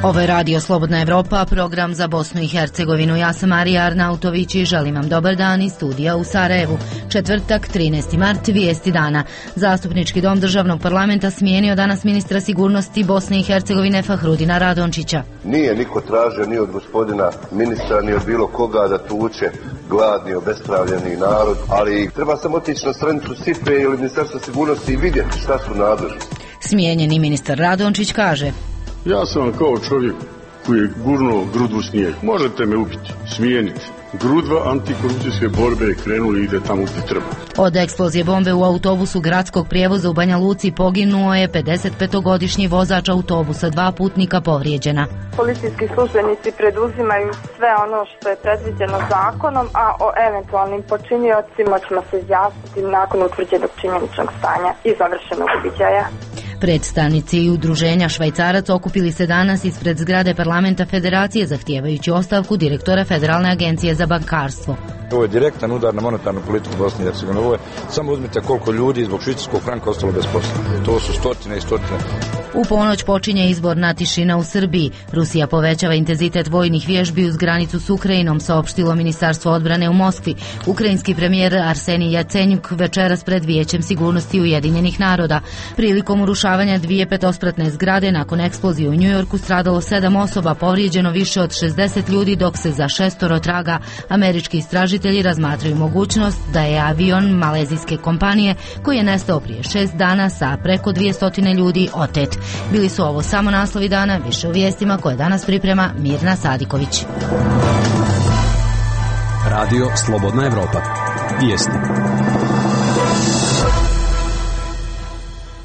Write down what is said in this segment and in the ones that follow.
Ovo je Radio Slobodna Evropa, program za Bosnu i Hercegovinu. Ja sam Marija Arnautović i želim vam dobar dan iz studija u Sarajevu. Četvrtak, 13. mart, vijesti dana. Zastupnički dom državnog parlamenta smijenio danas ministra sigurnosti Bosne i Hercegovine Fahrudina Radončića. Nije niko tražio ni od gospodina ministra, ni od bilo koga da tuče gladni, obespravljeni narod, ali treba samo otići na stranicu SIPE ili Ministarstva sigurnosti i vidjeti šta su nadležni. Smijenjeni ministar Radončić kaže: Ja sam kao čovjek koji je gurnuo grudu u snijeg. Možete me ubiti, smijeniti. Grudva antikorupcijske borbe krenuli i ide tamo gdje treba. Od eksplozije bombe u autobusu gradskog prijevoza u Banja Luci poginuo je 55-godišnji vozač autobusa, 2 putnika povrijeđena. Policijski službenici preduzimaju sve ono što je predviđeno zakonom, a o eventualnim počiniocima ćemo se izjasniti nakon utvrđenog činjeničnog stanja i završenog uviđaja. Predstavnici udruženja Švajcarac okupili se danas ispred zgrade parlamenta Federacije zahtijevajući ostavku direktora Federalne agencije za bankarstvo. Ovo je direktan udar na monetarnu politiku Bosne i Hercegovine. Ovo je, samo uzmite koliko ljudi zbog švicarskog franka ostalo bez posla. To su stotine i stotine. U ponoć počinje izborna tišina u Srbiji. Rusija povećava intenzitet vojnih vježbi uz granicu s Ukrajinom, saopštilo Ministarstvo odbrane u Moskvi. Ukrajinski premijer Arsenij Jacenjuk večeras pred Vijećem sigurnosti Ujedinjenih naroda. Prilikom urušavanja 2 petospratne zgrade nakon eksplozije u Njujorku stradalo 7 osoba, povrijeđeno više od 60 ljudi, dok se za 6 traga. Američki istražitelji razmatraju mogućnost da je avion malezijske kompanije koji je nestao prije 6 dana sa preko 200 ljudi otet. Bili su ovo samo naslovi dana, više u vijestima koje danas priprema Mirna Sadiković. Radio Slobodna Evropa. Vijesti.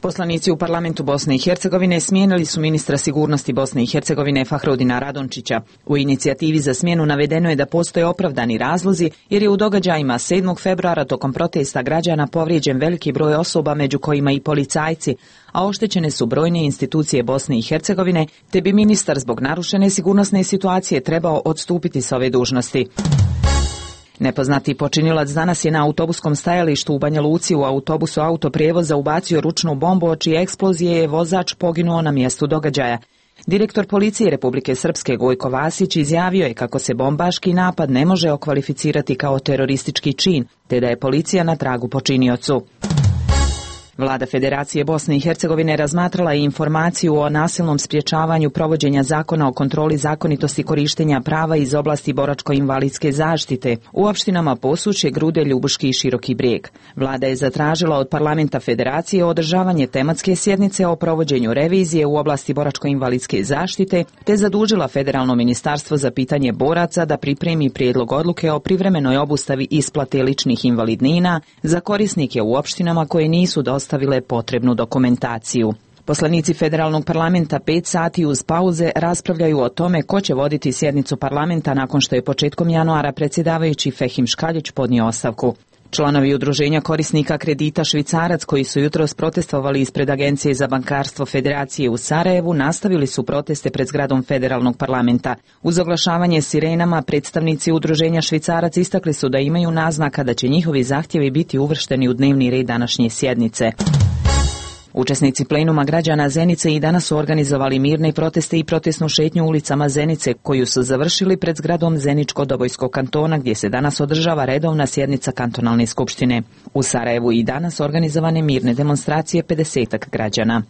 Poslanici u parlamentu Bosne i Hercegovine smijenili su ministra sigurnosti Bosne i Hercegovine Fahrudina Radončića. U inicijativi za smjenu navedeno je da postoje opravdani razlozi jer je u događajima 7. februara tokom protesta građana povrijeđen veliki broj osoba, među kojima i policajci, a oštećene su brojne institucije Bosne i Hercegovine, te bi ministar zbog narušene sigurnosne situacije trebao odstupiti s ove dužnosti. Nepoznati počinilac danas je na autobuskom stajalištu u Banja Luci u autobusu autoprijevoza ubacio ručnu bombu, od čije eksplozije je vozač poginuo na mjestu događaja. Direktor policije Republike Srpske Gojko Vasić izjavio je kako se bombaški napad ne može okvalificirati kao teroristički čin, te da je policija na tragu počiniocu. Vlada Federacije Bosne i Hercegovine razmatrala je informaciju o nasilnom sprječavanju provođenja zakona o kontroli zakonitosti korištenja prava iz oblasti boračko-invalidske zaštite u opštinama Posušje, Grude, Ljubuški i Široki Brijeg. Vlada je zatražila od parlamenta Federacije održavanje tematske sjednice o provođenju revizije u oblasti boračko-invalidske zaštite, te zadužila Federalno ministarstvo za pitanje boraca da pripremi prijedlog odluke o privremenoj obustavi isplate ličnih invalidnina za korisnike u opštinama koje nisu dostavile potrebnu dokumentaciju. Poslanici Federalnog parlamenta 5 sati uz pauze raspravljaju o tome ko će voditi sjednicu parlamenta nakon što je početkom januara predsjedavajući Fehim Škaljić podnio ostavku. Članovi udruženja korisnika kredita Švicarac, koji su jutros protestovali ispred Agencije za bankarstvo Federacije u Sarajevu, nastavili su proteste pred zgradom Federalnog parlamenta. Uz oglašavanje sirenama, predstavnici udruženja Švicarac istakli su da imaju naznaka da će njihovi zahtjevi biti uvršteni u dnevni red današnje sjednice. Učesnici plenuma građana Zenice i danas su organizovali mirne proteste i protestnu šetnju ulicama Zenice, koju su završili pred zgradom Zeničko-Dobojskog kantona, gdje se danas održava redovna sjednica kantonalne skupštine. U Sarajevu i danas organizovane mirne demonstracije 50-ak građana.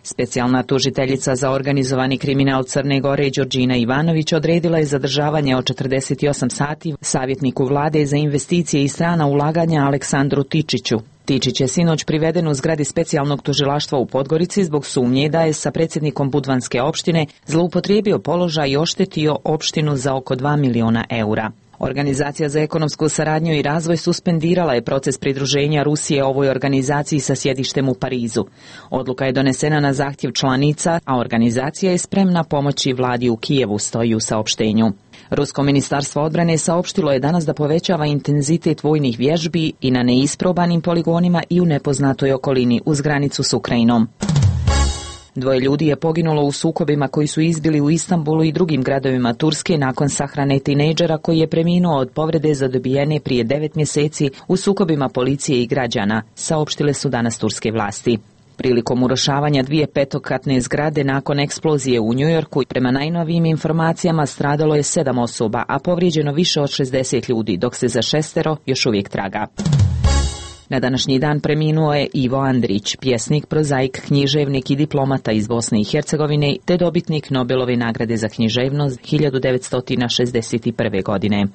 Specijalna tužiteljica za organizovani kriminal Crne Gore Đorđina Ivanović odredila je zadržavanje od 48 sati savjetniku vlade za investicije i strana ulaganja Aleksandru Tičiću. Tičić je sinoć priveden u zgradi specijalnog tužilaštva u Podgorici zbog sumnje da je sa predsjednikom Budvanske opštine zloupotrijebio položaj i oštetio opštinu za oko 2 miliona eura. Organizacija za ekonomsku saradnju i razvoj suspendirala je proces pridruženja Rusije ovoj organizaciji sa sjedištem u Parizu. Odluka je donesena na zahtjev članica, a organizacija je spremna pomoći vladi u Kijevu, stoji u saopštenju. Rusko ministarstvo odbrane saopštilo je danas da povećava intenzitet vojnih vježbi i na neisprobanim poligonima i u nepoznatoj okolini uz granicu s Ukrajinom. 2 ljudi je poginulo u sukobima koji su izbili u Istanbulu i drugim gradovima Turske nakon sahrane tinejdžera koji je preminuo od povrede zadobijene prije 9 mjeseci u sukobima policije i građana, saopštile su danas turske vlasti. prilikom urušavanja 2 petokatne zgrade nakon eksplozije u Njujorku. Prema najnovijim informacijama stradalo je 7 osoba, a povrijeđeno više od 60 ljudi, dok se za 6 još uvijek traga. Na današnji dan preminuo je Ivo Andrić, pjesnik, prozaik, književnik i diplomata iz Bosne i Hercegovine, te dobitnik Nobelove nagrade za književnost 1961. godine.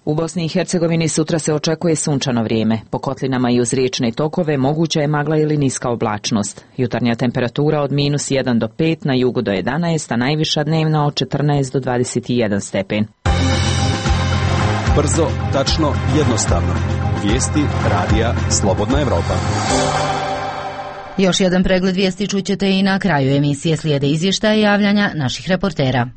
U Bosni i Hercegovini sutra se očekuje sunčano vrijeme. Po kotlinama i uz riječne tokove moguća je magla ili niska oblačnost. Jutarnja temperatura od -1 do 5, na jugu do 11, a najviša dnevna od 14 do 21 stepen. Brzo, tačno, jednostavno. Vijesti radija Slobodna Evropa. Još jedan pregled vijesti čućete i na kraju emisije. Slijede izvještaje i javljanja naših reportera.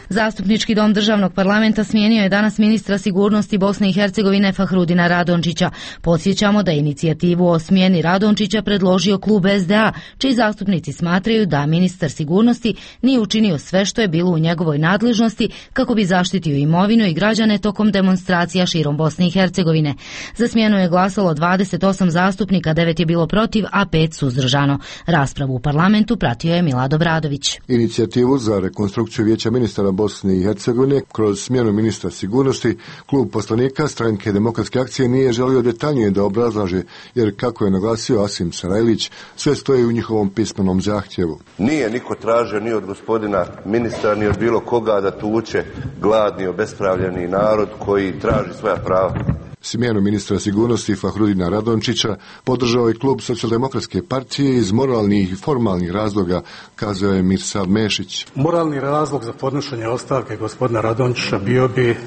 Zastupnički dom državnog parlamenta smijenio je danas ministra sigurnosti Bosne i Hercegovine Fahrudina Radončića. Podsjećamo da je inicijativu o smjeni Radončića predložio klub SDA, čiji zastupnici smatraju da ministar sigurnosti nije učinio sve što je bilo u njegovoj nadležnosti kako bi zaštitio imovinu i građane tokom demonstracija širom Bosne i Hercegovine. Za smjenu je glasalo 28 zastupnika, 9 je bilo protiv, a 5 suzdržano. Raspravu u parlamentu pratio je Milad Obradović. Inicijativu za rekonstrukciju vijeća ministara Bosne i Hercegovine kroz smjenu ministra sigurnosti klub poslanika Stranke demokratske akcije nije želio detaljnije da obrazlaže, jer kako je naglasio Asim Sarajlić, sve stoji u njihovom pismenom zahtjevu. Nije niko tražio ni od gospodina ministra ni od bilo koga da tuče gladni, obespravljeni narod koji traži svoja prava. Smjenu ministra sigurnosti Fahrudina Radončića podržao je klub Socijaldemokratske partije iz moralnih i formalnih razloga, kazao je Mirsad Mešić. Moralni razlog za podnošenje ostavke gospodina Radončića bio bi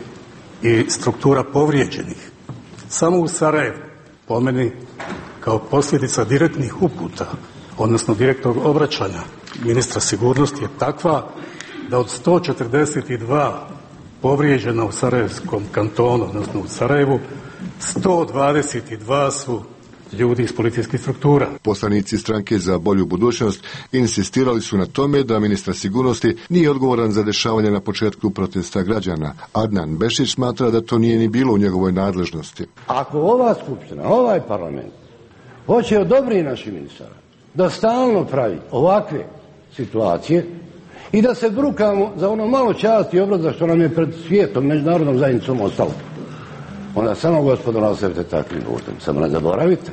i struktura povrijeđenih. Samo u Sarajevu, po meni, kao posljedica direktnih uputa, odnosno direktnog obraćanja ministra sigurnosti je takva da od 142 povrijeđena u Sarajevskom kantonu, odnosno u Sarajevu, 122 su ljudi iz policijskih struktura. Poslanici Stranke za bolju budućnost insistirali su na tome da ministar sigurnosti nije odgovoran za dešavanje na početku protesta građana. Adnan Bešić smatra da to nije ni bilo u njegovoj nadležnosti. Ako ova skupština, ovaj parlament hoće odobri naših ministara da stalno pravi ovakve situacije i da se brukamo za ono malo časti i obraza što nam je pred svijetom, međunarodnom zajednicom ostalo, onda samo gospodo nastavite takvim putem. Samo ne zaboravite,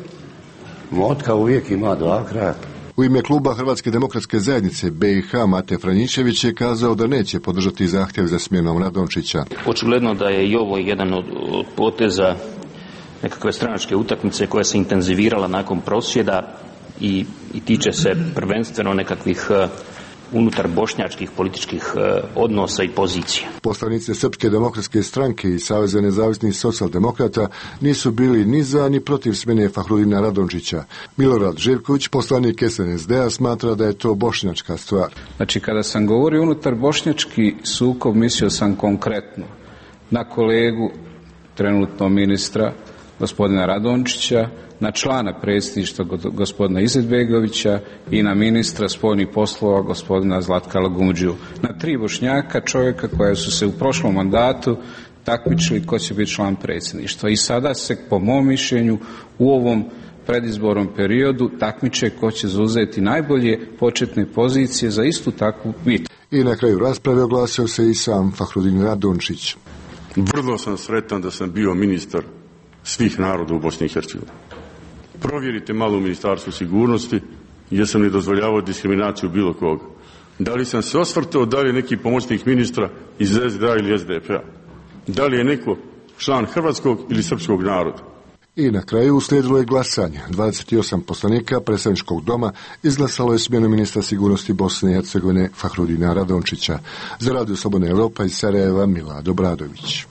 motka uvijek ima 2 kraja. U ime kluba Hrvatske demokratske zajednice BiH Mate Franjišević je kazao da neće podržati zahtjev za smjenom Radončića. Očigledno da je i ovo jedan od poteza nekakve stranačke utakmice koja se intenzivirala nakon prosvjeda i tiče se prvenstveno nekakvih unutar bošnjačkih političkih odnosa i pozicija. Poslanice Srpske demokratske stranke i Saveza nezavisnih socijaldemokrata nisu bili ni za ni protiv smjene Fahrudina Radončića. Milorad Živković, poslanik SNSD-a, smatra da je to bošnjačka stvar. Znači, kada sam govorio unutar bošnjački sukob, mislio sam konkretno na kolegu, trenutno ministra, gospodina Radončića, na člana predsjedništva gospodina Izetbegovića i na ministra spoljnih poslova gospodina Zlatka Lagumdžiju. Na 3 Bošnjaka, čovjeka koja su se u prošlom mandatu takmičili ko će biti član predsjedništva. I sada se, po mom mišljenju, u ovom predizbornom periodu takmiče ko će zauzeti najbolje početne pozicije za istu takvu bitku. I na kraju rasprave oglasio se i sam Fahrudin Radončić. Vrlo sam sretan da sam bio ministar svih naroda u Bosni i Hercegovini. Provjerite malo u Ministarstvu sigurnosti, jesam li dozvoljavao diskriminaciju bilo koga. Da li sam se osvrtao, da li je neki pomoćnik ministra iz SDA ili SDP-a. Da li je neko član hrvatskog ili srpskog naroda. I na kraju uslijedilo je glasanje. 28 poslanika predstavničkog doma izglasalo je smjenu ministra sigurnosti Bosne i Hercegovine Fahrudina Radončića. Za Radio Slobodna Evropa iz Sarajeva, Milad Obradović.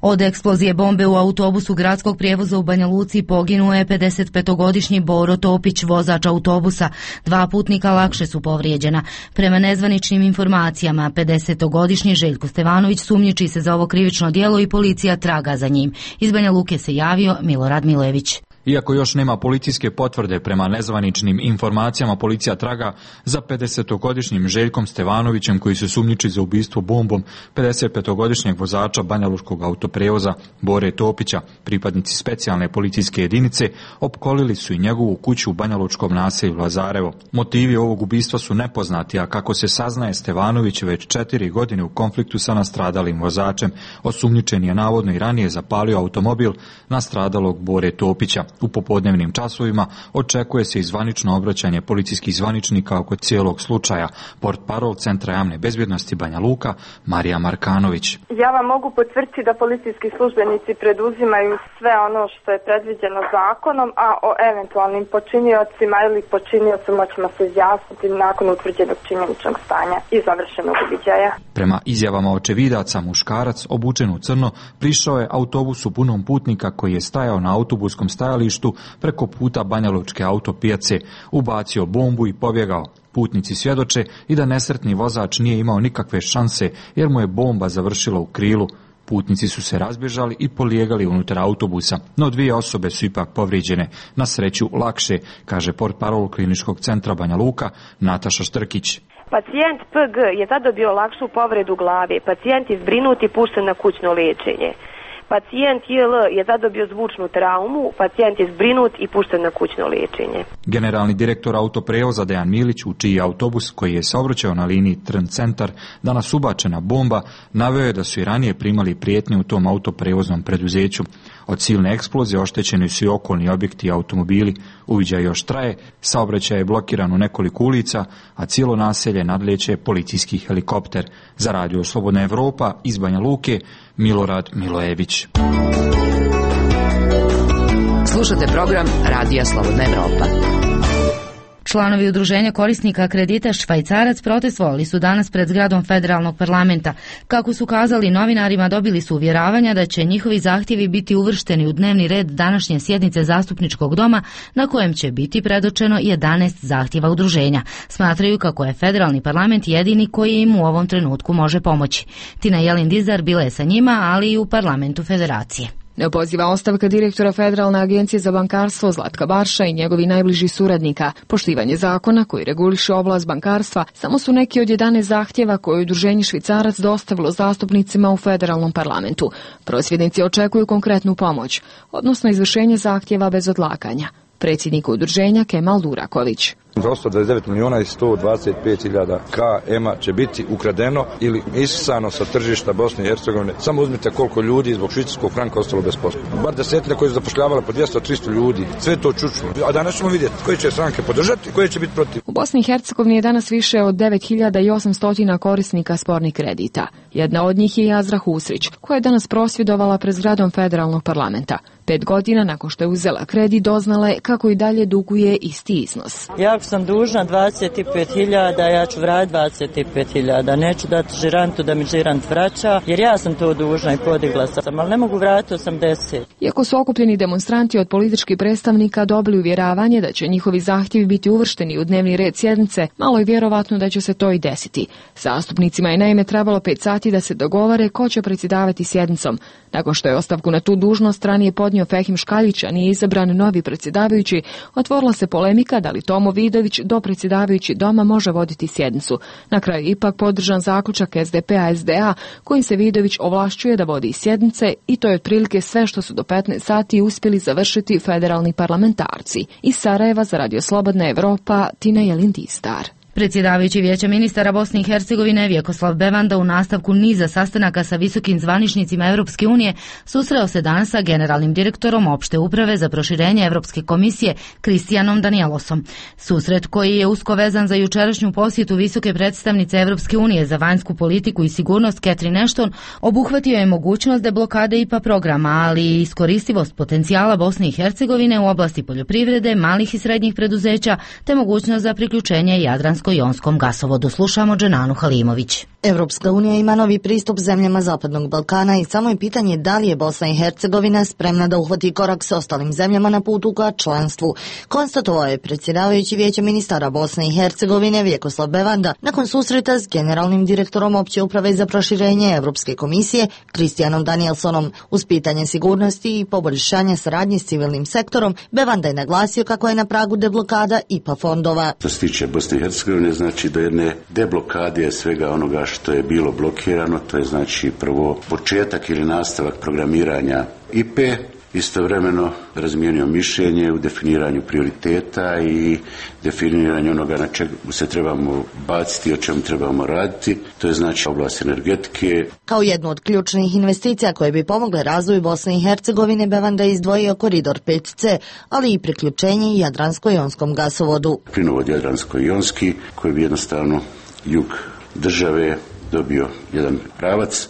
Od eksplozije bombe u autobusu gradskog prijevoza u Banja Luci poginuo je 55-godišnji Boro Topić, vozač autobusa. 2 putnika lakše su povrijeđena. Prema nezvaničnim informacijama, 50-godišnji Željko Stevanović sumnjiči se za ovo krivično djelo i policija traga za njim. Iz Banja Luke se javio Milorad Milojević. Iako još nema policijske potvrde, prema nezvaničnim informacijama policija traga za 50-godišnjim Željkom Stevanovićem koji se sumnjiči za ubistvo bombom 55-godišnjeg vozača banjalučkog autoprevoza Bore Topića. Pripadnici specijalne policijske jedinice opkolili su i njegovu kuću u banjalučkom naselju Lazarevo. Motivi ovog ubistva su nepoznati, a kako se saznaje, Stevanović je već 4 godine u konfliktu sa nastradalim vozačem. Osumnjičen je navodno i ranije zapalio automobil nastradalog Bore Topića. U popodnevnim časovima očekuje se i zvanično obraćanje policijskih zvaničnika oko cijelog slučaja. Portparol Centra javne bezbjednosti Banja Luka, Marija Markanović. Ja vam mogu potvrditi da policijski službenici preduzimaju sve ono što je predviđeno zakonom, a o eventualnim počiniocima ili počiniocima ćemo se izjasniti nakon utvrđenog činjeničnog stanja i završenog uviđaja. Prema izjavama očevidaca, muškarac obučen u crno prišao je autobusu punom putnika koji je stajao na autobuskom stajalištu preko puta Banjalučke autopijace, ubacio bombu i pobjegao. Putnici svjedoče i da nesretni vozač nije imao nikakve šanse jer mu je bomba završila u krilu. Putnici su se razbježali i polijegali unutar autobusa, no 2 osobe su ipak povrijeđene, na sreću lakše, kaže portparol Kliničkog centra Banja Luka Nataša Štrkić. Pacijent PG je zadobio lakšu povredu glave, pacijent je zbrinut i pušten na kućno liječenje. Pacijent JL je zadobio zvučnu traumu, pacijent je zbrinut i pušten na kućno liječenje. Generalni direktor autoprevoza Dejan Milić, u čiji autobus koji je saobraćao na liniji Trn centar danas ubačena bomba, naveo je da su i ranije primali prijetnje u tom autoprevoznom preduzeću. Od silne eksplozije oštećeni su i okolni objekti i automobili. Uviđaj još traje, saobraćaj je blokiran u nekoliko ulica, a cijelo naselje nadlijeće policijski helikopter. Za Radio Slobodna Evropa iz Banja Luke, Milorad Milojević. Slušate program Radija Slobodna Evropa. Članovi udruženja korisnika kredita Švajcarac protestovali su danas pred zgradom federalnog parlamenta. Kako su kazali novinarima, dobili su uvjeravanja da će njihovi zahtjevi biti uvršteni u dnevni red današnje sjednice zastupničkog doma, na kojem će biti predočeno 11 zahtjeva udruženja. Smatraju kako je federalni parlament jedini koji im u ovom trenutku može pomoći. Tina Jelin-Dizar bila je sa njima, ali i u parlamentu federacije. Poziva ostavka direktora Federalne agencije za bankarstvo Zlatka Barša i njegovi najbliži suradnika. Poštivanje zakona koji reguliše oblast bankarstva samo su neki od 11 zahtjeva koje je udruženje Švicarac dostavilo zastupnicima u federalnom parlamentu. Prosvjednici očekuju konkretnu pomoć, odnosno izvršenje zahtjeva bez odlaganja. Predsjednik udruženja Kemal Duraković. Za 129 milijuna i 125 hiljada KM-a će biti ukradeno ili isisano sa tržišta Bosne i Hercegovine. Samo uzmite koliko ljudi zbog švicarskog franka ostalo bez posla. Bar desetine koji su zapošljavali po 200-300 ljudi. Sve to čučno. A danas ćemo vidjeti koje će stranke podržati, koje će biti protiv. U Bosni i Hercegovini je danas više od 9800 korisnika spornih kredita. Jedna od njih je Jazra Husrić, koja je danas prosvjedovala pred zgradom federalnog parlamenta. 5 godina nakon što je uzela kredit, doznala je kako i dalje duguje isti iznos. Ako sam dužna 25.000, ja ću vratiti 25.000. Neću dati žirantu da mi žirant vraća, jer ja sam to dužna i podigla sam, ali ne mogu vratiti 80. Iako su okupljeni demonstranti od političkih predstavnika dobili uvjeravanje da će njihovi zahtjevi biti uvršteni u dnevni red sjednice, malo je vjerovatno da će se to i desiti. Zastupnicima je naime trebalo 5 sati da se dogovore ko će predsjedavati sjednicom. Nakon što je ostavku na tu dužnost ranije podnio Fehim Škaljić, a nije izabran novi predsjedavajući, otvorila se polemika da li Tomo Vidović, dopredsjedavajući doma, može voditi sjednicu. Na kraju ipak podržan zaključak SDP-a kojim se Vidović ovlašćuje da vodi sjednice i to je otprilike sve što su do 15 sati uspjeli završiti federalni parlamentarci. Iz Sarajeva za Radio Slobodna Evropa, Tina Jelin-Dizar. Predsjedavajući Vijeća ministara Bosne i Hercegovine Vjekoslav Bevanda u nastavku niza sastanaka sa visokim zvaničnicima Europske unije susreo se danas sa generalnim direktorom opšte uprave za proširenje Europske komisije Kristijanom Danielosom. Susret, koji je usko vezan za jučerašnju posjetu visoke predstavnice Europske unije za vanjsku politiku i sigurnost Catherine Ashton, obuhvatio je mogućnost deblokade IPA programa, ali i iskoristivost potencijala Bosne i Hercegovine u oblasti poljoprivrede, malih i srednjih preduzeća te mogućnost za priključenje Jadranskog Jadransko-jonskom gasovodu. Slušamo Dženanu Halimović. Evropska unija ima novi pristup zemljama Zapadnog Balkana i samo je pitanje da li je Bosna i Hercegovina spremna da uhvati korak s ostalim zemljama na putu ka članstvu, konstatovao je predsjedavajući Vijeća ministara Bosne i Hercegovine Vjekoslav Bevanda nakon susreta s generalnim direktorom opće uprave za proširenje Evropske komisije Kristijanom Danielsonom. Uz pitanje sigurnosti i poboljšanja saradnje s civilnim sektorom, Bevanda je naglasio kako je na pragu deblokada IPA fondova. Što se tiče Bosne i Hercegovine, znači do jedne deblokade svega onoga što je bilo blokirano, to je znači prvo početak ili nastavak programiranja IPE, istovremeno razmijenio mišljenje u definiranju prioriteta i definiranju onoga na čemu se trebamo baciti i o čemu trebamo raditi, to je znači oblast energetike. Kao jednu od ključnih investicija koje bi pomogle razvoju Bosne i Hercegovine, Bevanda je izdvojio koridor 5C, ali i priključenje Jadransko-jonskom gasovodu. Plinovod Jadransko-jonski koji bi jednostavno jug države dobio jedan pravac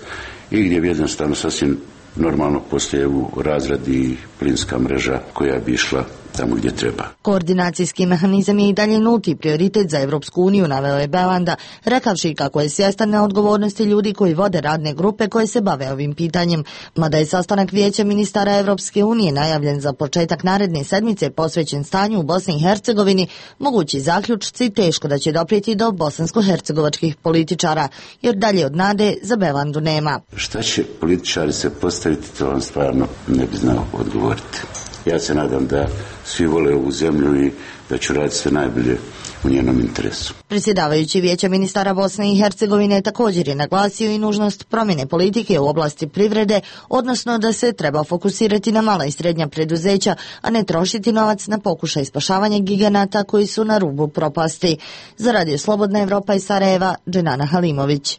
i gdje bi jednostavno sasvim normalno poslije u razradi plinska mreža koja bi išla tamo gdje treba. Koordinacijski mehanizam je i dalje nulti prioritet za Evropsku uniju, naveo je Bevanda, rekavši kako je svjestan na odgovornosti ljudi koji vode radne grupe koje se bave ovim pitanjem. Mada je sastanak Vijeća ministara Evropske unije najavljen za početak naredne sedmice posvećen stanju u Bosni i Hercegovini, mogući zaključci teško da će doprijeti do bosansko-hercegovačkih političara, jer dalje od nade za Bevandu nema. Šta će političari se postaviti, to vam stvarno ne bi znao odgovoriti. Ja se nadam da svi vole ovu zemlju i da ću raditi sve najbolje u njenom interesu. Predsjedavajući Vijeća ministara Bosne i Hercegovine također je naglasio i nužnost promjene politike u oblasti privrede, odnosno da se treba fokusirati na mala i srednja preduzeća, a ne trošiti novac na pokušaj spašavanja giganata koji su na rubu propasti. Za Radio Slobodna Evropa iz Sarajeva, Dženana Halimović.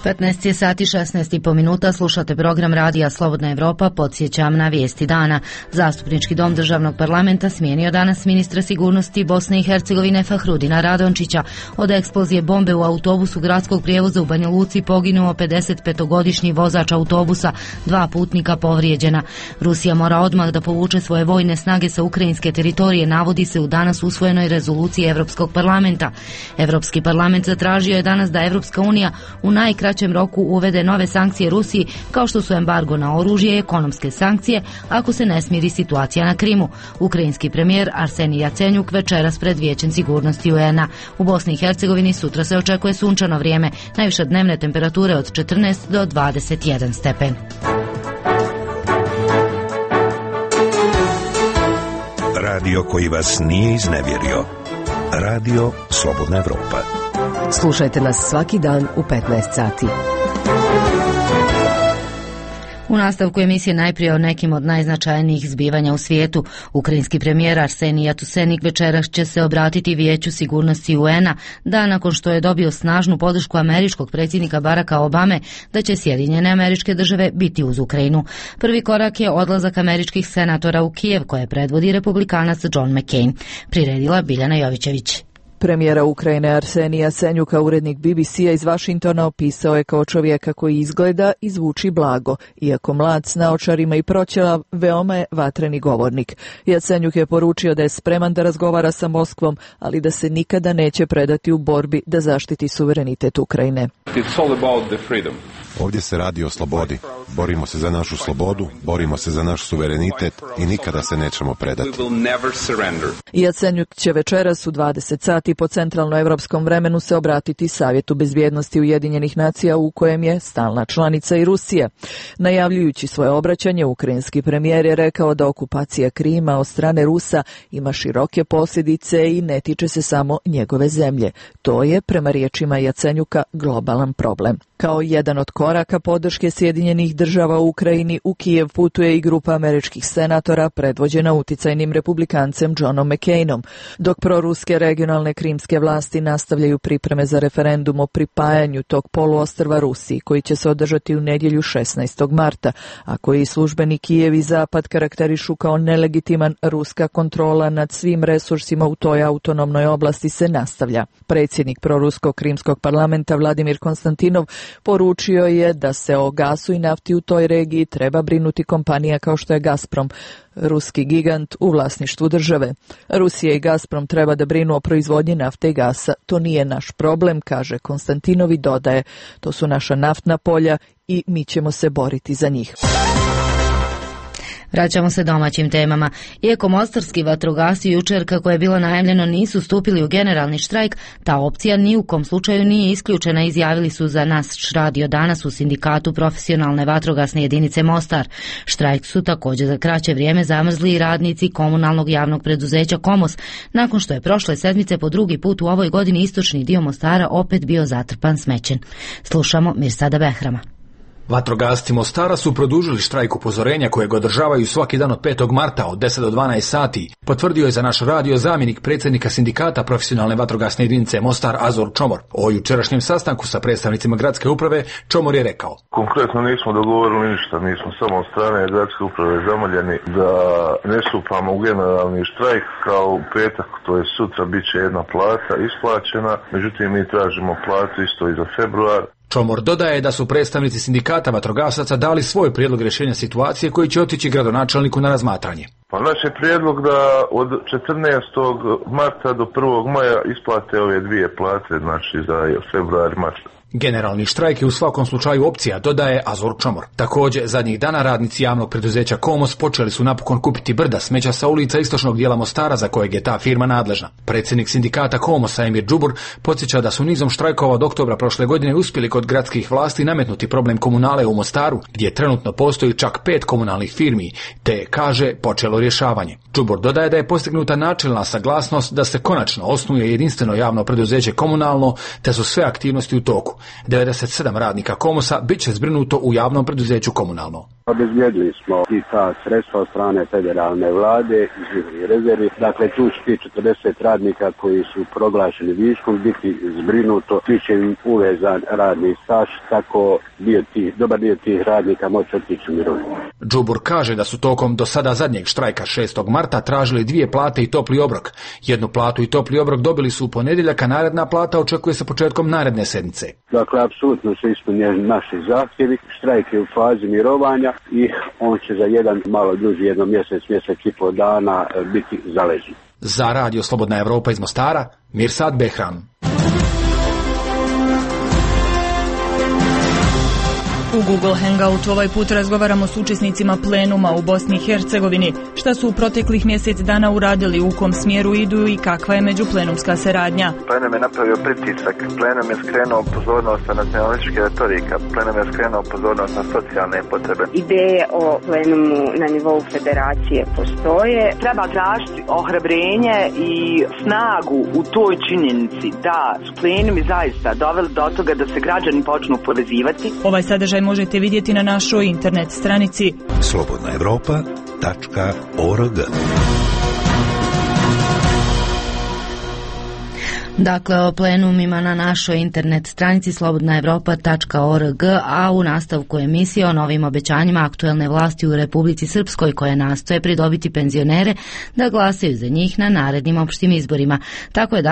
15 je sati 16,5 minuta, slušate program Radija Slobodna Evropa, podsjećam na vijesti dana. Zastupnički dom državnog parlamenta smijenio danas ministra sigurnosti Bosne i Hercegovine Fahrudina Radončića. Od eksplozije bombe u autobusu gradskog prijevoza u Banja Luci poginuo 55-godišnji vozač autobusa, 2 putnika povrijeđena. Rusija mora odmah da povuče svoje vojne snage sa ukrajinske teritorije, navodi se u danas usvojenoj rezoluciji Evropskog parlamenta. Evropski parlament zatražio je danas da Evropska unija u najkraćem roku uvede nove sankcije Rusiji, kao što su embargo na oružje i ekonomske sankcije ako se ne smiri situacija na Krimu. Ukrajinski premijer Arsenij Jacenjuk večeras pred Vijećem sigurnosti UN-a. U Bosni i Hercegovini sutra se očekuje sunčano vrijeme, najviše dnevne temperature od 14 do 21 stepen. Radio koji vas nije iznevjerio. Radio Slobodna Evropa. Slušajte nas svaki dan u 15 sati. U nastavku emisije najprije o nekim od najznačajnijih zbivanja u svijetu. Ukrajinski premijer Arsenij Jatusenik večeras će se obratiti Vijeću sigurnosti UN-a, dan nakon što je dobio snažnu podršku američkog predsjednika Baracka Obame da će Sjedinjene Američke Države biti uz Ukrajinu. Prvi korak je odlazak američkih senatora u Kijev, koje predvodi republikanac John McCain. Priredila Biljana Jovićević. Premijera Ukrajine Arsenija Jacenjuka urednik BBC-a iz Vašingtona opisao je kao čovjeka koji izgleda i zvuči blago. Iako mlad s naočarima i proćela, veoma je vatreni govornik. Jacenjuk je poručio da je spreman da razgovara sa Moskvom, ali da se nikada neće predati u borbi da zaštiti suverenitet Ukrajine. Ovdje se radi o slobodi. Borimo se za našu slobodu, borimo se za naš suverenitet i nikada se nećemo predati. Jacenjuk će večeras u 20 sati po centralnoevropskom vremenu se obratiti Savjetu bezbjednosti Ujedinjenih nacija, u kojem je stalna članica i Rusija. Najavljujući svoje obraćanje, ukrajinski premijer je rekao da okupacija Krima od strane Rusa ima široke posljedice i ne tiče se samo njegove zemlje. To je, prema riječima Jacenjuka, globalan problem. Kao jedan od koraka podrške Sjedinjenih država u Ukrajini, u Kijev putuje i grupa američkih senatora predvođena uticajnim republikancem Johnom McCainom, dok proruske regionalne krimske vlasti nastavljaju pripreme za referendum o pripajanju tog poluostrva Rusiji, koji će se održati u nedjelju 16. marta, a koji službeni Kijev i Zapad karakterišu kao nelegitiman. Ruska kontrola nad svim resursima u toj autonomnoj oblasti se nastavlja. Predsjednik proruskog krimskog parlamenta Vladimir Konstantinov Poručio je da se o gasu i nafti u toj regiji treba brinuti kompanija kao što je Gazprom, ruski gigant u vlasništvu države. Rusija i Gazprom treba da brinu o proizvodnji nafte i gasa. To nije naš problem, kaže Konstantinov i dodaje, to su naša naftna polja i mi ćemo se boriti za njih. Vraćamo se domaćim temama. Iako mostarski vatrogasci jučer, kako je bilo najavljeno, nisu stupili u generalni štrajk, ta opcija ni u kom slučaju nije isključena, izjavili su za Naš radio danas u sindikatu profesionalne vatrogasne jedinice Mostar. Štrajk su također za kraće vrijeme zamrzli i radnici komunalnog javnog preduzeća Komos, nakon što je prošle sedmice po drugi put u ovoj godini istočni dio Mostara opet bio zatrpan smećem. Slušamo Mirsada Behrama. Vatrogasci Mostara su produžili štrajk upozorenja kojeg održavaju svaki dan od 5. marta od 10 do 12 sati, potvrdio je za Naš radio zamjenik predsjednika sindikata profesionalne vatrogasne jedinice Mostar Azor Čomor. O jučerašnjem sastanku sa predstavnicima gradske uprave Čomor je rekao: Konkretno nismo dogovorili ništa, mi smo samo od strane gradske uprave zamoljeni da ne stupamo u generalni štrajk kao u petak, to je sutra, bit će jedna plata isplaćena, međutim mi tražimo platu isto i za februar. Čomor dodaje da su predstavnici sindikata vatrogasaca dali svoj prijedlog rješenja situacije koji će otići gradonačelniku na razmatranje. Pa naš je prijedlog da od 14. marta do 1. maja isplate ove dvije plate, znači za februar i mart. Generalni štrajk je u svakom slučaju opcija, dodaje Azor Čomor. Također, zadnjih dana radnici javnog preduzeća Komos počeli su napokon kupiti brda smeća sa ulica istočnog dijela Mostara za kojeg je ta firma nadležna. Predsjednik sindikata Komosa Emir Džubur podsjeća da su nizom štrajkova od oktobra prošle godine uspjeli kod gradskih vlasti nametnuti problem komunale u Mostaru, gdje trenutno postoji čak 5 komunalnih firmi, te, kaže, počelo rješavanje. Džubur dodaje da je postignuta načelna saglasnost da se konačno osnuje jedinstveno javno preduzeće komunalno, te su sve aktivnosti u toku. 97 radnika Komosa bit će zbrinuto u javnom preduzeću komunalno. Obezbijedili smo i ta sredstva od strane federalne vlade iz njihovih rezervi. Dakle, tu će ti 40 radnika koji su proglašeni viškom biti zbrinuto, bit će im uvezan radni staž, tako dobar dio tih radnika moći otići u mirovinu. Džubur kaže da su tokom do sada zadnjeg štrajka 6. marta tražili 2 plate i topli obrok. Jednu platu i topli obrok dobili su u ponedjeljak, a naredna plata očekuje se početkom naredne sedmice. Dakle, apsolutno su ispunjeni naši zahtjevi. Štrajk je u fazi mirovanja i on će za jedan malo duži, mjesec i pol dana biti zaležen. Za radio Slobodna Evropa iz Mostara, Mirsad Behram. U Google Hangoutu ovaj put razgovaramo s učesnicima plenuma u Bosni i Hercegovini, šta su u proteklih mjesec dana uradili, u kom smjeru idu i kakva je međuplenumska saradnja. Plenum je napravio pritisak, plenum je skrenuo pozornost na nacionalističke retorika, plenum je skrenuo pozornost na socijalne potrebe. Ideje o plenumu na nivou federacije postoje. Treba tražiti ohrabrenje i snagu u toj činjenici da su plenumi zaista doveli do toga da se građani počnu povezivati. Ovaj sadržaj možete vidjeti na našoj internet stranici slobodnaevropa.org. Dakle, o plenumima na našoj internet stranici slobodnaevropa.org, a u nastavku emisije o novim obećanjima aktuelne vlasti u Republici Srpskoj koje nastoje pridobiti penzionere da glasaju za njih na narednim opštim izborima. Tako je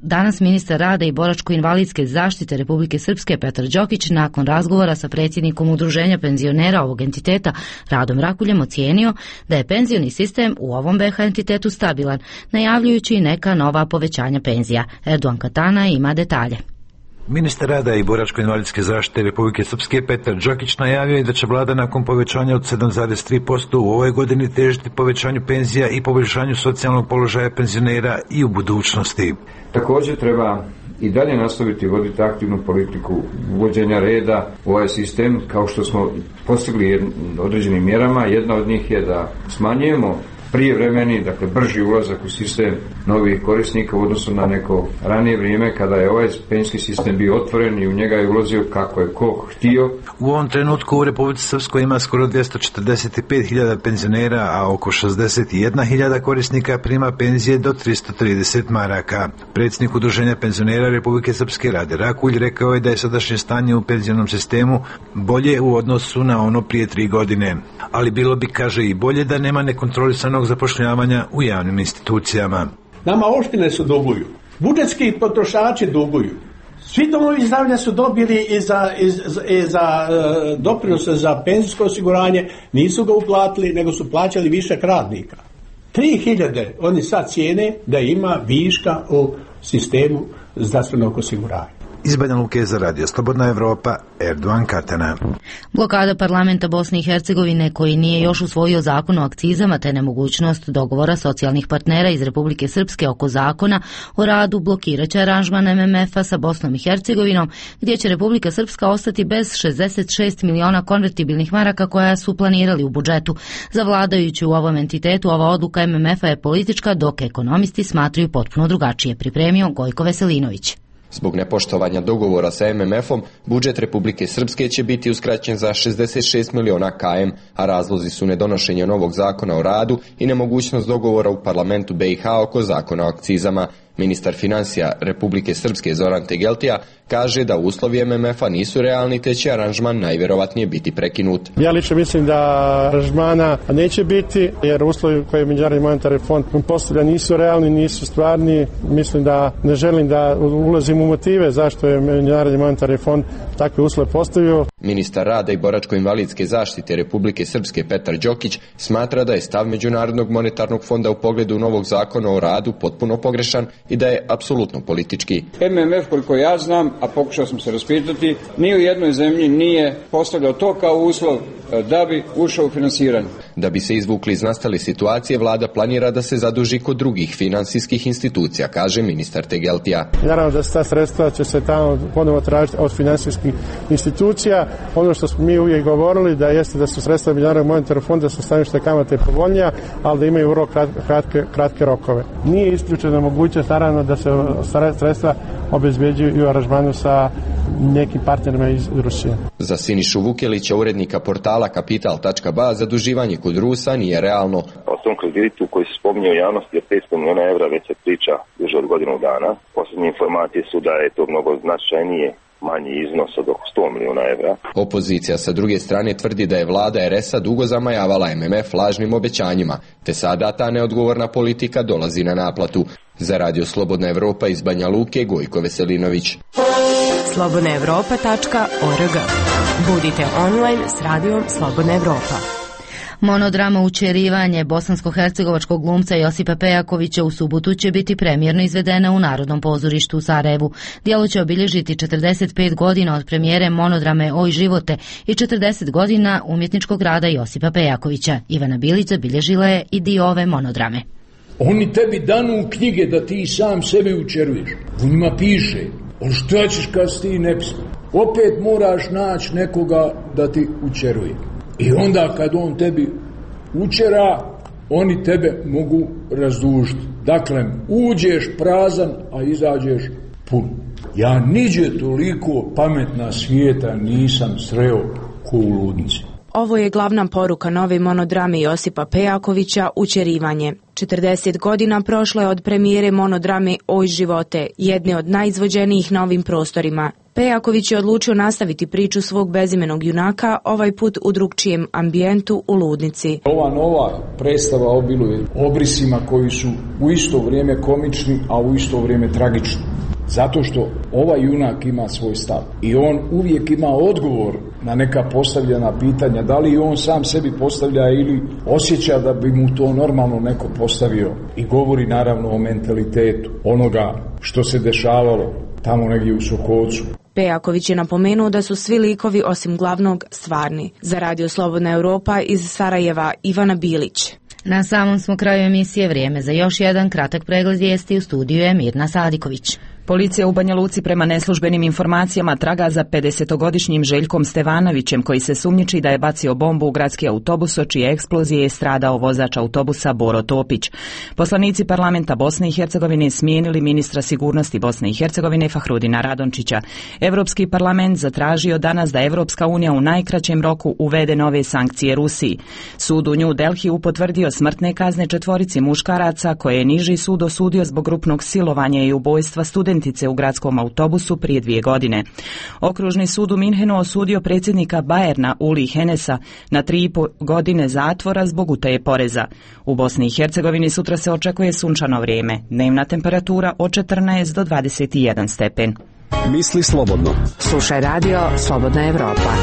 danas ministar rada i boračko-invalidske zaštite Republike Srpske Petar Đokić nakon razgovora sa predsjednikom udruženja penzionera ovog entiteta Radom Rakuljem ocijenio da je penzioni sistem u ovom BiH entitetu stabilan, najavljujući i neka nova povećanja penzija. Erdogan Katana ima detalje. Ministar rada i boračko-invalidske zaštite Republike Srpske Petar Đokić najavio je da će vlada nakon povećanja od 7,3% u ovoj godini težiti povećanju penzija i poboljšanju socijalnog položaja penzionera i u budućnosti. Također treba i dalje nastaviti voditi aktivnu politiku uvođenja reda u ovaj sistem, kao što smo postigli određenim mjerama. Jedna od njih je da smanjujemo prijevremeni, dakle brži ulazak u sistem novih korisnika u odnosu na neko ranije vrijeme kada je ovaj penzijski sistem bio otvoren i u njega je ulazio kako je ko htio. U ovom trenutku u Republici Srpskoj ima skoro 245.000 penzionera, a oko 61.000 korisnika prima penzije do 330 maraka. Predsjednik udruženja penzionera Republike Srpske Rade Rakulj rekao je da je sadašnje stanje u penzionom sistemu bolje u odnosu na ono prije 3 godine. Ali bilo bi, kaže, i bolje da nema nekontrolisanog zapošljavanja u javnim institucijama. Nama opštine su duguju, budžetski potrošači duguju, Svi domovi zdravlja su dobili i za doprinose za penzijsko osiguranje, nisu ga uplatili, nego su plaćali višak radnika. 3000 oni sad cijene da ima viška u sistemu zdravstvenog osiguranja. Iz Banja Luke za Radio Slobodna Evropa, Erdogan Katana. Blokada parlamenta Bosne i Hercegovine koji nije još usvojio zakon o akcizama te nemogućnost dogovora socijalnih partnera iz Republike Srpske oko zakona o radu blokiraće aranžman MMF-a sa Bosnom i Hercegovinom, gdje će Republika Srpska ostati bez 66 miliona konvertibilnih maraka koja su planirali u budžetu. Za vladajući u ovom entitetu ova odluka MMF-a je politička, dok ekonomisti smatraju potpuno drugačije, pripremio Gojko Veselinović. Zbog nepoštovanja dogovora sa MMF-om, budžet Republike Srpske će biti uskraćen za 66 miliona km, a razlozi su nedonošenje novog zakona o radu i nemogućnost dogovora u parlamentu BiH oko zakona o akcizama. Ministar financija Republike Srpske Zoran Tegeltija kaže da uslovi MMF-a nisu realni te će aranžman najvjerovatnije biti prekinut. Ja lično mislim da aranžmana neće biti jer uslovi koje Međunarodni monetarni fond postavlja nisu realni, nisu stvarni. Mislim da ne želim da ulazim u motive zašto je Međunarodni monetarni fond takve uslove postavio. Ministar rada i boračko-invalidske zaštite Republike Srpske Petar Đokić smatra da je stav Međunarodnog monetarnog fonda u pogledu novog zakona o radu potpuno pogrešan i da je apsolutno politički. MMF, koliko ja znam, a pokušao sam se raspitati, ni u jednoj zemlji nije postavljao to kao uslov da bi ušao u finansiranje. Da bi se izvukli iz nastale situacije, vlada planira da se zaduži kod drugih finansijskih institucija, kaže ministar Tegeltija. Naravno da ta sredstva će se tamo ponovo tražiti od finansijskih institucija. Ono što smo mi uvijek govorili da jeste da su sredstva Međunarodnog monetarnog fonda sa stanovišta kamate povoljnija, ali da imaju vrlo kratke rokove. Nije isključena mogućnost naravno da se sredstva obezbeđuju i u aranžmanu sa nekim partnerima iz Rusije. Za Sinišu Vukelića, urednika portala Kapital.ba, zaduživanje kod Rusa nije realno. O tom kreditu koji se spominje u javnosti je 500 miliona evra, već se priča duže od godinu dana. Posljednje informacije su da je to mnogo značajnije, manji iznos od oko 100 miliona evra. Opozicija sa druge strane tvrdi da je vlada RS-a dugo zamajavala MMF lažnim obećanjima, te sada ta neodgovorna politika dolazi na naplatu. Za Radio Slobodna Evropa iz Banja Luke, Gojko Veselinović. slobodnaevropa.org. Budite online s radijom Slobodna Evropa. Monodrama Učerivanje bosansko-hercegovačkog glumca Josipa Pejakovića u subotu će biti premijerno izvedena u Narodnom pozorištu u Sarajevu. Djelo će obilježiti 45 godina od premijere monodrame Oj živote i 40 godina umjetničkog rada Josipa Pejakovića. Ivana Bilić zabilježila je i dio ove monodrame. Oni tebi danu knjige da ti sam sebe učeruješ. U njima piše, ali što ćeš kad si ti ne pisao? Opet moraš naći nekoga da ti učeruje. I onda kad on tebi učera, oni tebe mogu razdužiti. Dakle, uđeš prazan, a izađeš pun. Ja niđe toliko pametna svijeta nisam sreo ko u ludnici. Ovo je glavna poruka nove monodrame Josipa Pejakovića Učerivanje. 40 godina prošlo je od premijere monodrame Oj živote, jedne od najizvođenijih na ovim prostorima. Pejaković je odlučio nastaviti priču svog bezimenog junaka, ovaj put u drugčijem ambijentu u ludnici. Ova nova predstava obiluje obrisima koji su u isto vrijeme komični, a u isto vrijeme tragični. Zato što ovaj junak ima svoj stav i on uvijek ima odgovor na neka postavljena pitanja, da li on sam sebi postavlja ili osjeća da bi mu to normalno neko postavio, i govori naravno o mentalitetu onoga što se dešavalo tamo negdje u Sokovcu. Pejaković je napomenuo da su svi likovi osim glavnog stvarni. Za Radio Slobodna Evropa iz Sarajeva, Ivana Bilić. Na samom smo kraju emisije, vrijeme za još jedan kratak pregled vijesti. U studiju je Mirna Sadiković. Policija u Banja Luci prema neslužbenim informacijama traga za 50-godišnjim Željkom Stevanovićem koji se sumnjiči da je bacio bombu u gradski autobus, od čije eksplozije je stradao vozač autobusa Boro Topić. Poslanici parlamenta Bosne i Hercegovine smijenili ministra sigurnosti Bosne i Hercegovine Fahrudina Radončića. Europski parlament zatražio danas da Evropska unija u najkraćem roku uvede nove sankcije Rusiji. Sud u New Delhiju potvrdio smrtne kazne 4 muškaraca koje je niži sud osudio zbog grupnog silovanja i ubojstva studentice u gradskom autobusu prije 2 godine. Okružni sud u Minhenu osudio predsjednika Bayerna Uli Henesa na 3,5 godine zatvora zbog utaje poreza. U Bosni i Hercegovini sutra se očekuje sunčano vrijeme. Dnevna temperatura od 14 do 21 stepen. Misli slobodno. Slušaj radio Slobodna Evropa.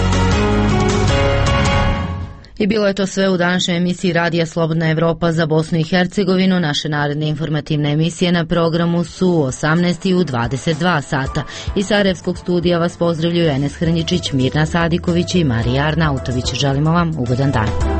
I bilo je to sve u današnjoj emisiji Radija Slobodna Evropa za Bosnu i Hercegovinu. Naše naredne informativne emisije na programu su u 18 i u 22 sata. Iz Sarajevskog studija vas pozdravljuju Enes Hrnjičić, Mirna Sadiković i Marija Arnautović. Želimo vam ugodan dan.